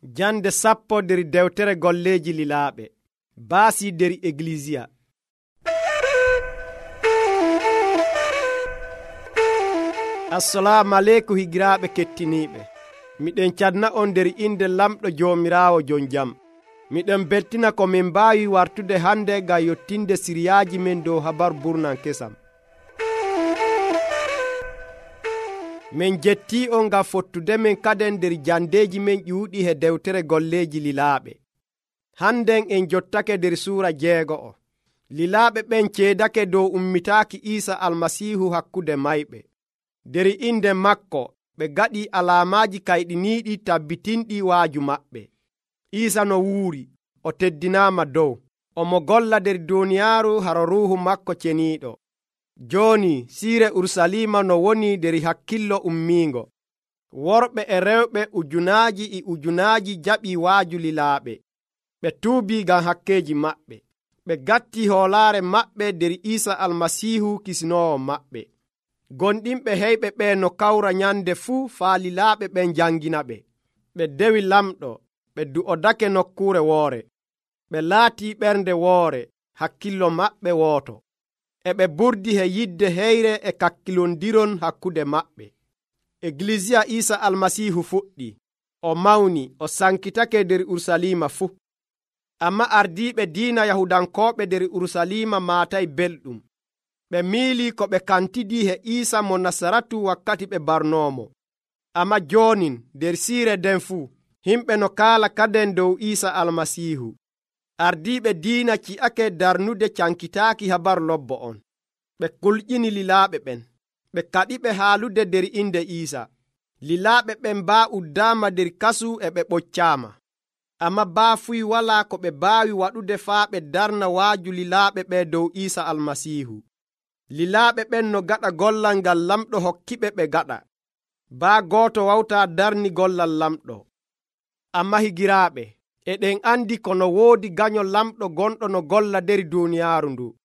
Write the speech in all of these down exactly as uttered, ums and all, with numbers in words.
Jande sappo der dewtere golleeji lilaaɓe baasi der Eglisiya. Assalamu aleykum higiraaɓe kettiniiɓe. Miɗen cadna on der inde lamɗo Joomiraawo jon jam. Miɗen beltina ko min mbaawi wartude hande ngam yottinde siriyaaji men dow habaru burnan kesam. Min jettii on ngam fottude men kaden der jandeeji men ƴuuɗi he dewtere golleeji lilaaɓe. Hannden en jottake der suura jeego'o. Lilaaɓe ɓen ceedake dow ummitaaki Iisa Almasiihu hakkude mayɓe. Der inde makko ɓe gaɗi alaamaaji kayɗiniiɗi tabbitinɗi waaju maɓɓe. Iisa no wuuri, o teddinaama dow, omo golla der duuniyaaru haro ruuhu makko ceniiɗo. Jooni siire Urusalima no woni der hakkillo ummiingo. Worɓe e rewɓe ujunaaji e ujunaaji jaɓii waaju lilaaɓe. Ɓe tuubii ngam hakkeeji maɓɓe. Ɓe gatti hoolaare maɓɓe der Iisa Almasiihu Kisnoowo maɓɓe. Gonɗinɓe heyɓe ɓe no kawra nyande fuu faa lilaaɓe ɓen jangina ɓe. Ɓe dewi lamɗo, ɓe du'odake nokkuure woore. Ɓe laatii ɓernde woore, hakkillo maɓɓe wooto. E ɓe burdi he yidde heyre e kakkilondiron hakkude maɓɓe. Eglisiya Iisa Almasiihu fuɗɗi, o mawni, o sankitake der Urusalima fuu. Amma ardiiɓe diina Yahudankooɓe der Urusalima maatay belɗum. Ɓe miilii ko ɓe kantidii he Iisa mo Nasaratu wakkati ɓe barnoomo. Amma joonin der siire nden fuu, himɓe no kaala kaden dow Iisa Almasiihu. Ardiiɓe diina ci'ake darnude cankitaaki habaru lobbo on. Ɓe kulƴini lilaaɓe ɓen. Ɓe kaɗiɓe haalude der inde Iisa. Lilaaɓe ɓen baa uddaama der kasu e ɓe ɓoccaama. Amma baa fuy walaa ko ɓe baawi waɗude faa ɓe darna waaju lilaaɓe ɓe dow Iisa Almasiihu. Lilaaɓe ɓen no gaɗa gollal ngal lamɗo hokkiɓe ɓe gaɗa. Baa gooto wawtaa darni gollal lamɗo. Amma higiraaɓe, eɗen andi kono woodi gaño lamɗo gonɗo no golla der duuniyaaru ndu.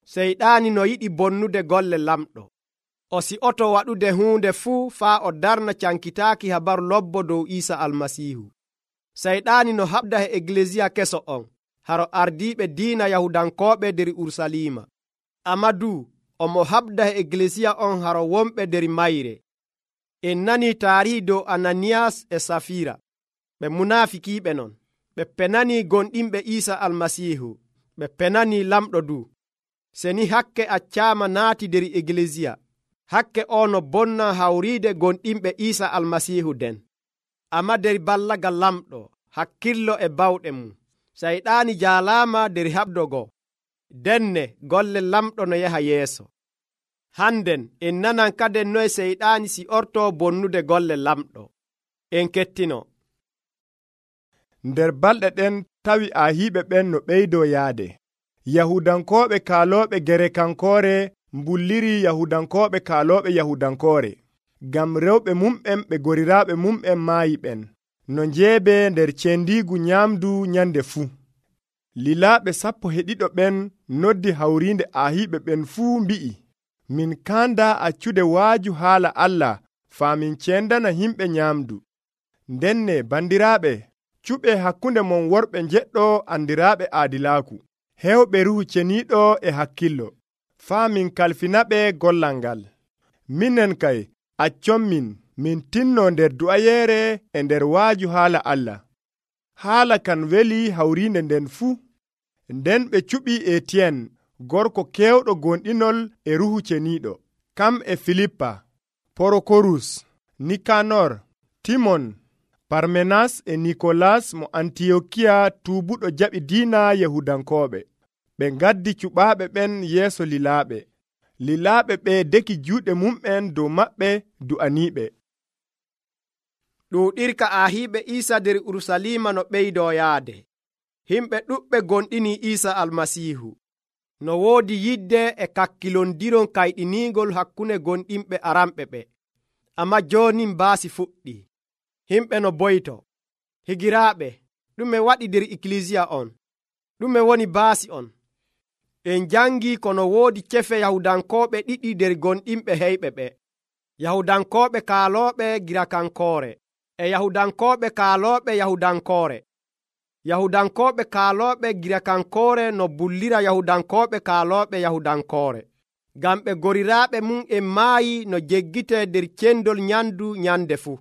Seyɗaani no yiɗi bonnude golle lamɗo. O si'oto waɗude huunde fuu faa o darna cankitaaki habaru lobbo dow Iisa Almasiihu. Seyɗaani no haɓda he Eglisiya keso on, haro ardiiɓe diina Yahudankooɓe der Urusalima. Amma duu, omo haɓda he Eglisiya on haro wonɓe der mayre. En nanii taarihi dow Ananiyas e Safira. Ɓe munaafikiiɓe non. Ɓe penanii gonɗinɓe Iisa Almasiihu. Ɓe penanii lamɗo duu. Seni hakke accaama naati der Eglisiya, hakke o no bonna hawriide gonɗinɓe Iisa Almasiihu den. Amma der ballagal lamɗo, hakkillo e bawɗe mum, Sayɗaani jaalaama der haɓdogo. Denne golle lamɗo no yaha yeeso. Hannden en nanan kaden noye Seyɗaani si ortoo bonnude golle lamɗo. En kettino. Nder balɗe ɗen tawi ahiiɓe ɓen no ɓeydoo yaade. Yahudankooɓe kaalooɓe Gerekankoore mbulliri Yahudankooɓe kaalooɓe Yahudankoore. Ngam rewɓe mumɓen ɓe goriraaɓe mumɓen maayi ɓen, no njeebe nder cendiigu nyaamdu nyande fuu. Lilaaɓe sappo e ɗiɗo ɓen noddi hawriinde ahiiɓe ɓen fuu mbi'i, min kaanda accude waaju haala Allah faa min cendana himɓe nyaamdu. Ndenne bandiraaɓe, cuɓe hakkunde mon worɓe njeɗɗo andiraaɓe aadilaaku, heewɓe ruhu ceniiɗo e hakkillo, faa min kalfinaɓe gollal ngal. Minen kay, accon min, min tinno nder du'ayeere e nder waaju haala Allah. Haala kan weli hawriinde nden fuu. Nden ɓe cuɓi Etiyen, gorko keewɗo gonɗinol e ruhu ceniiɗo, kam e Filippa, Porokorus, Nikanor, Timon, Parmenas e Nikolas mo Antiyokiya tuubuɗo jaɓi diina Yahudankooɓe. Ɓe ngaddi cuɓaaɓe ɓen yeeso lilaaɓe. Lilaaɓe ɓe deki juuɗe mumɓen dow maɓɓe du'aniiɓe. Ɗuuɗirka ahiiɓe Iisa der Urusalima no ɓeydoo yaade. Himɓe ɗuɓɓe gonɗini Iisa Almasiihu. No woodi yidde e kakkilondiron kayɗiniingol hakkunde gonɗinɓe aranɓe ɓe. Amma jooni mbaasi fuɗɗi. Himɓe no boyto. Higiraaɓe, ɗume waɗi der Eklisiya on? Ɗume woni baasi on? En jangii kono woodi cefe Yahudankooɓe ɗiɗi der gonɗinɓe heyɓe ɓe. Yahudankooɓe kaalooɓe Girakankoore e yahudankooɓe kaalooɓe yahudankoore. Yahudankooɓe kaalooɓe Girakankoore no bullira yahudankooɓe kaalooɓe yahudankoore, ngam ɓe goriraaɓe mum en maayi no jeggitee nder cendol nyamdu nyande fuu.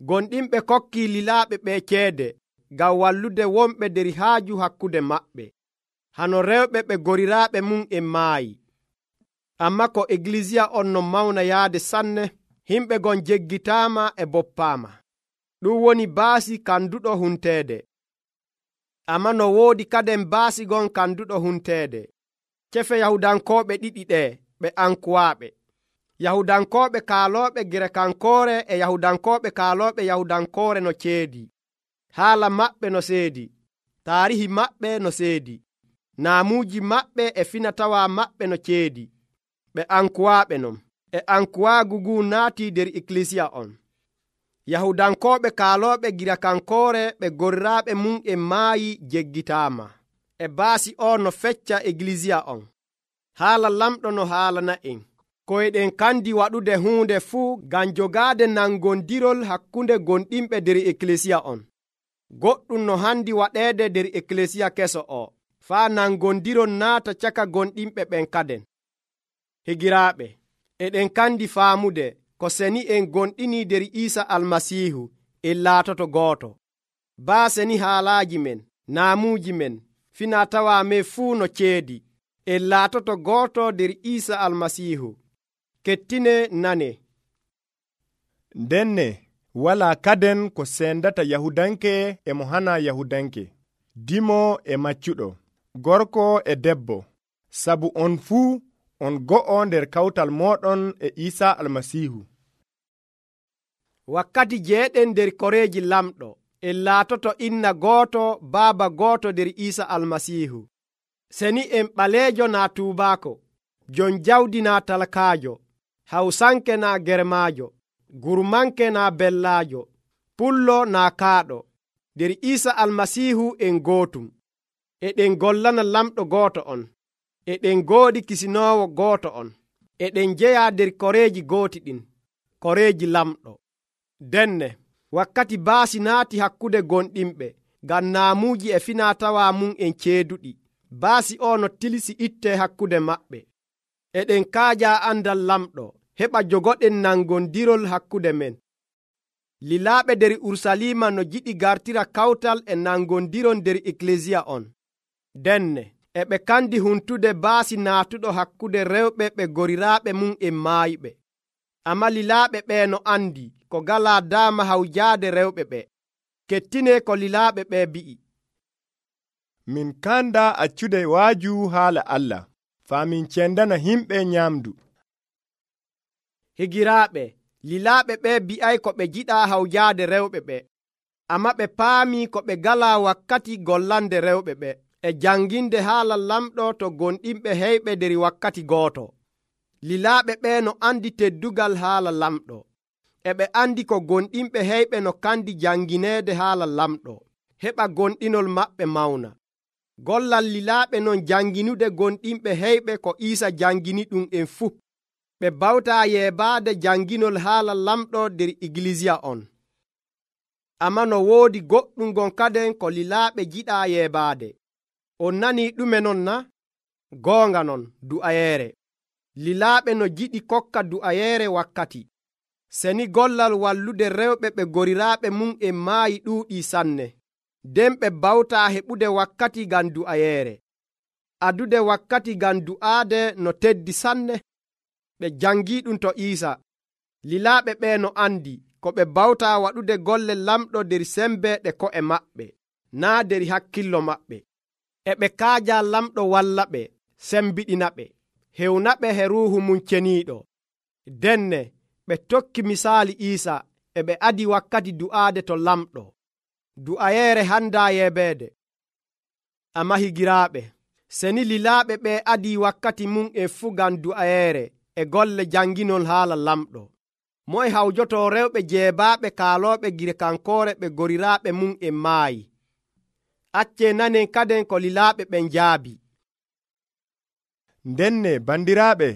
Gonɗinɓe kokkii lilaaɓe ɓe ceede ngam wallude wonɓe nder haaju hakkude maɓɓe, hano rewɓe ɓe goriraaɓe mum en maayi. Amma ko Egilisiya on no mawna yaade sanne, himɓe gon jeggitaama e boppaama. Ɗum woni baasi kanduɗo hunteede. Amma no woodi kaden baasi gon kanduɗo hunteede. Cefe yahudankooɓe ɗiɗi ɗee ɓe ankuwaaɓe. Yahudankooɓe kaalooɓe Girakankoore e yahudankooɓe kaalooɓe yahudankoore no ceedi. Haala maɓɓe no seedi, taarihi maɓɓe no seedi, naamuuji maɓɓe e finatawaa maɓɓe no ceedi. Ɓe ankuwaaɓe non. E ankuwaagu ngu naatii nder Ikkilisiya on. Yahudankooɓe kaalooɓe Girakankoore ɓe goriraaɓe mum en maayi jeggitaama. E baasi o no fecca Egilisiya on. Haala lamɗo no haalana en. Ko eɗen kandi waɗude huunde fuu ngam jogaade nangondirol hakkunde gonɗinɓe nder Ekkilisiya on. Goɗɗum no handi waɗeede nder Ekkilisiya keso o, faa nangondirol naata caka gonɗinɓe ɓen kaden. Higiraaɓe, eɗen kandi faamude ko seni en gonɗini nder Iisa Almasiihu en laatoto gooto. Baa seni haalaaji men, naamuuji men, finatawaa men fuu no ceedi, en laatoto gooto nder Iisa Almasiihu. Kettine nane. Ndenne walaa kaden ko sendata Yahudanke e mo hana Yahudanke, dimo e maccuɗo, gorko e debbo, sabu on fuu on go'o nder kawtal mooɗon e Iisa Almasiihu. Wakkati jeeɗen nder koreeji lamɗo, en laatoto inna gooto baaba gooto nder Iisa Almasiihu. Seni en ɓaleejo naa tuubaako, jon jawdi naa talkaajo, hawsanke naa germaajo, gurmanke naa bellaajo, pullo naa kaaɗo. Nder Iisa Almasiihu en gootum. Eɗen gollana lamɗo gooto on. Eɗen goodi kisinoowo gooto on. Eɗen jeyaa nder koreeji gooti ɗin, koreeji lamɗo. Denne, wakkati baasi naati hakkude gonɗinɓe, ngam naamuuji e finatawaa mum en ceeduɗi. Baasi o no tilisi itte hakkude maɓɓe. Eɗen kaajaa andal lamɗo, heɓa jogoɗen nangondirol hakkude men. Lilaaɓe nder Urusalima no jiɗi gartira kawtal e nangondirol nder Ekkilisiya on. Denne, e ɓe kandi huntude baasi naatuɗo hakkude rewɓe ɓe goriraaɓe mum en maayiɓe. Amma lilaaɓe ɓe no andi ko galaa daama hawjaade rewɓe ɓe. Kettine ko lilaaɓe ɓe bi'i. Min kanda accude waaju haala Allah, faa min cendana himɓe nyamdu. Higiraaɓe, lilaaɓe ɓe bi'ay ko ɓe jiɗaa hawjaade rewɓe ɓe. Amma ɓe paami ko ɓe galaa wakkati gollande rewɓe ɓe e janginde haala lamɗo to gonɗinɓe heyɓe nder wakkati gooto. Lilaaɓe ɓe no andi teddugal haala lamɗo. E ɓe andi ko gonɗinɓe heyɓe no kandi jangineede haala lamɗo, heɓa gonɗinol maɓɓe mawna. Gollal lilaaɓe non janginude gonɗinɓe heyɓe ko Iisa jangini ɗum en fuu. Ɓe bawtaa yeebaade janginol haala lamɗo nder Igilisiya on. Amma no woodi goɗɗum gon kaden ko lilaaɓe jiɗaa yeebaade. On nanii ɗume non na? Goonga non, du'ayeere. Lilaaɓe no jiɗi kokka du'ayeere wakkati. Seni gollal wallude rewɓe ɓe goriraaɓe mum en maayi ɗuuɗii sanne. Nden ɓe bawtaa heɓude wakkati ngam du'ayeere. Adude wakkati ngam du'aade no teddi sanne. Ɓe jangii ɗum to Iisa. Lilaaɓe ɓe no andi ko ɓe bawtaa waɗude golle lamɗo nder sembe ɗe ko'e maɓɓe, naa nder hakkillo maɓɓe. E ɓe kaajaa lamɗo walla ɓe, sembiɗina ɓe, hewna ɓe he ruuhu mum ceniiɗo. Denne, ɓe tokki misaali Iisa e ɓe adi wakkati du'aade to lamɗo. Du'ayeere handaa yeebeede. Amma higiraaɓe, seni lilaaɓe ɓe adi wakkati mum e fuu ngam du'ayeere e golle janginol haala lamɗo. Moye hawjoto rewɓe jeebaaɓe kaalooɓe Girakankoore ɓe goriraaɓe mum en maayi. Accee nanen kaden ko lilaaɓe ɓen njaabi. Ndenne bandiraaɓe,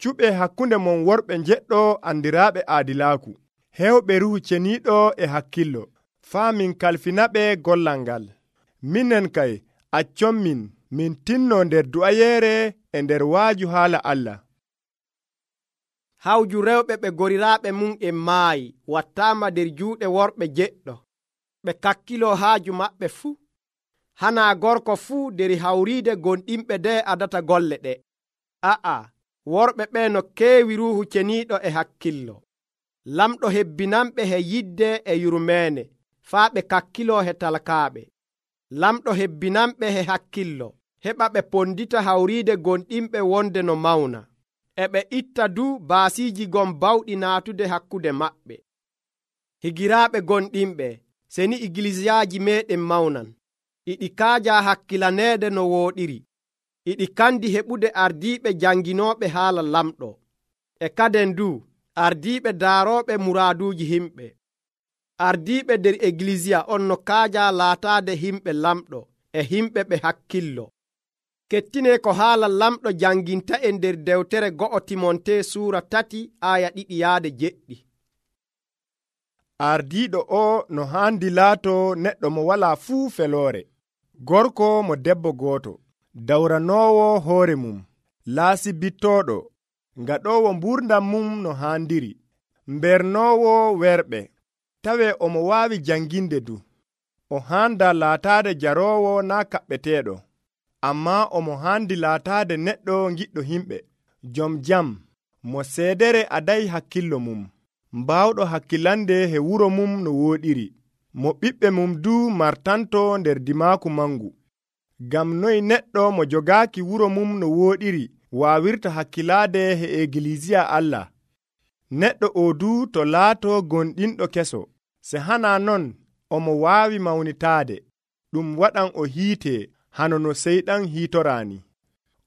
cuɓe hakkunde mon worɓe njeɗɗo andiraaɓe aadilaaku. hewɓe ruhu ceniiɗo e hakkillo, faa min kalfinaɓe gollal ngal. Minen kay, accon min, min tinno nder du'ayeere e nder waaju haala Allah. Hawju rewɓe ɓe goriraaɓe mum en maayi wattaama nder juuɗe worɓe jeɗɗo. Ɓe kakkilo haaju maɓɓe fuu. Hanaa gorko fuu nder hawriide gonɗinɓe de adata golle ɗe. A'a, worɓe ɓe no keewi ruuhu ceniiɗo e hakkillo. Lamɗo hebbinanɓe he yidde e yurmeene, faa ɓe kakkilo he talkaaɓe. Lamɗo hebbinanɓe he hakkillo, heɓa ɓe pondita hawriide gonɗinɓe wonde no mawna. E ɓe itta du baasiiji gon bawɗi naatude hakkude maɓɓe. Higiraaɓe gonɗinɓe, seni igilisiyaaji meeɗen mawnan, iɗi kaaja hakkilaneede no wooɗiri, iɗi kandi heɓude ardiiɓe janginooɓe haala lamɗo, e kaden du ardiiɓe daarooɓe muraaduuji himɓe. Ardiiɓe nder igilisiya on no kaaja laataade himɓe lamɗo e himɓe ɓe hakkillo. Kettine ko haala lamɗo janginta en nder dewtere go'o Timonte suura tati aya ɗiɗi yaade jeɗɗi. Ardiiɗo o no haandi laato neɗɗo mo walaa fuu feloore, gorko mo debbo gooto, dawranoowo hoore mum, laasibittooɗo, ngaɗoowo mbuurdam mum no haandiri, mbernoowo werɓe, tawe omo waawi janginde du. O haanda laataade jaroowo naa kaɓɓeteeɗo, ammaa omo haandi laataade neɗɗo giɗɗo himɓe, jom jam, mo seedere adayi hakkillo mum, mbaawɗo hakkilande he wuro mum no wooɗiri, mo ɓiɓɓe mum du martanto nder dimaaku mangu. Gam noy neɗɗo mo jogaaki wuro mum no wooɗiri waawirta hakkilaade he egilisiya Allah? Neɗɗo o du to laato gonɗinɗo keso, se hana non omo waawi mawnitaade, ɗum waɗan o hiite hano no seyɗan hiitoraani.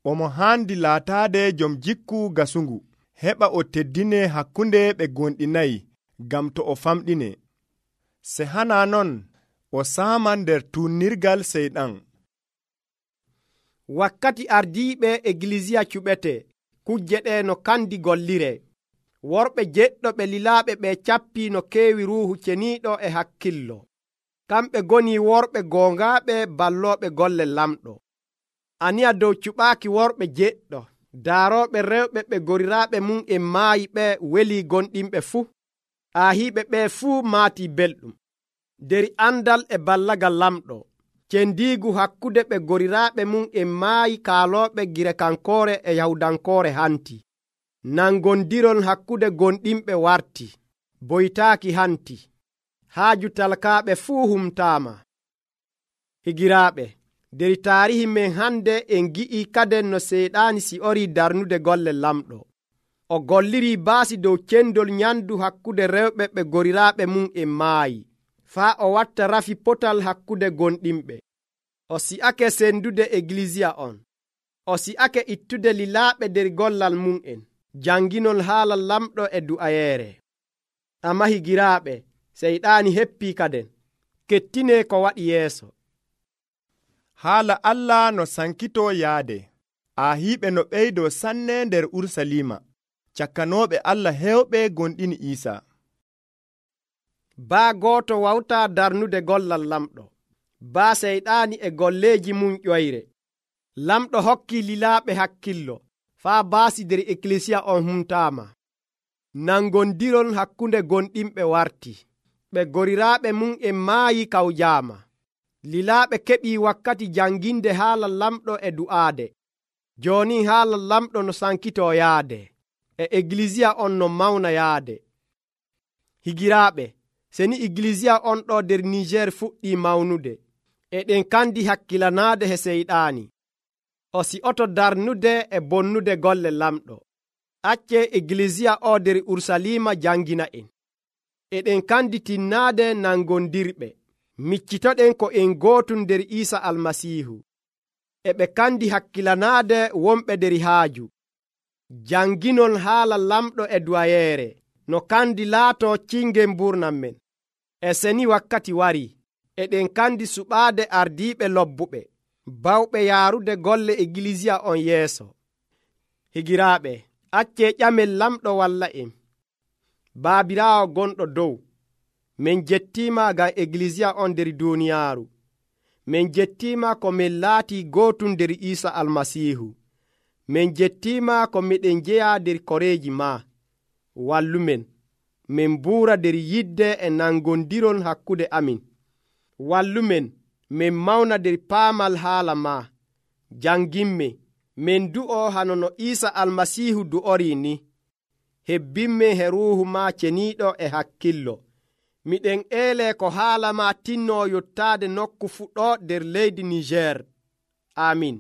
Omo haandi laataade jom jikku gasungu, heɓa o teddine hakkunde ɓe gonɗinayi, gam to o famɗine. Se hana non o saaman nder tunnirgal seyɗan. Wakkati ardiiɓe igilisiya cuɓete, kujje ɗe no kandi gollire. Worɓe jeɗɗo ɓe lilaaɓe ɓe cappi no keewi ruuhu ceniiɗo e hakkillo. Kamɓe goni worɓe goongaaɓe ballooɓe golle lamɗo. Aniya dow cuɓaaki worɓe jeɗɗo, daarooɓe rewɓe ɓe goriraaɓe mum en maayi ɓe weli gonɗinɓe fuu. Aahiiɓe ɓe fuu maatii belɗum. Der andal e ballagal lamɗo, cendiigu hakkude ɓe goriraaɓe mum en maayi kaalooɓe Girekankoore e Yahudankoore hanti. Nangondiron hakkude gonɗinɓe warti, boytaaki hanti. Haaju talkaaɓe fuu humtaama. Higiraaɓe, der taarihi men hande en gi'i kaden no seyɗaani si ori darnude golle lamɗo. O golliri baasi dow cendol nyandu hakkude rewɓe ɓe goriraaɓe mum en maayi, faa o watta rafi potal hakkude gonɗinɓe. O si'ake sendude igilisiya on. O si'ake ittude lilaaɓe der gollal mum en, janginol haala lamɗo e du'ayeere. Amma higiraaɓe, seyɗaani heppii kaden, kettine ko waɗi yeeso. Haala Allah no sankitoo yaade, aahiiɓe no ɓeydoo sanne nder Urusalima, cakkanooɓe Allah heewɓe gonɗini Iisaa. Baa gooto wawtaa darnude gollal lamɗo, baa seyɗaani e golleeji mum ƴoyre. Lamɗo hokki lilaaɓe hakkillo, faa baasi nder ikkilisiya on humtaama. Nangondiron hakkunde gonɗinɓe warti, ɓe goriraaɓe mum en maayi kawjaama. Lilaaɓe keɓii wakkati janginde haala lamɗo e du'aade. Jooni haala lamɗo no sankitoo yaade, e igilisiya on no mawna yaade. Higiraaɓe, seni igilisiya on ɗo nder Niger fuɗɗii mawnude, eɗen kandi hakkilanaade he seyɗaani. O si'oto darnude e bonnude golle lamɗo. Acce igilisiya o nder Urusalima jangina en. Eɗen kandi tinnaade nangondirɓe. Miccitoɗen ko en gootu nder Iisa Almasiihu. E ɓe kandi hakkilanaade wonɓe nder haaju. Janginol haala lamɗo e duwayeere, no kandi laato cingen mburnam men. E seni wakkati wari, eɗen kandi suɓaade ardiiɓe lobbuɓe, bawɓe yaarude golle igilisiya on yeeso. Higiraaɓe, acce ƴamel lamɗo walla en. Baabiraawo gonɗo dow, min jettiima ngam eglisiya on nder duuniyaaru. Min jettiima ko min laatii gootum nder Iisa Almasiihu. Min jettiima ko miɗen jeya nder koreeji maa. Wallumen, min buura nder yidde e nangondiron hakkude amin. Wallumen, min mawna nder paamal haala maa. Janginme, min du'o hano no Iisa Almasiihu du'orii ni. Hebbinme he ruuhu maa ceniiɗo e hakkillo. Miɗen eelee ko haala maa tinnoo yottaade nokku fuɗɗo nder leydi Niger. Amin.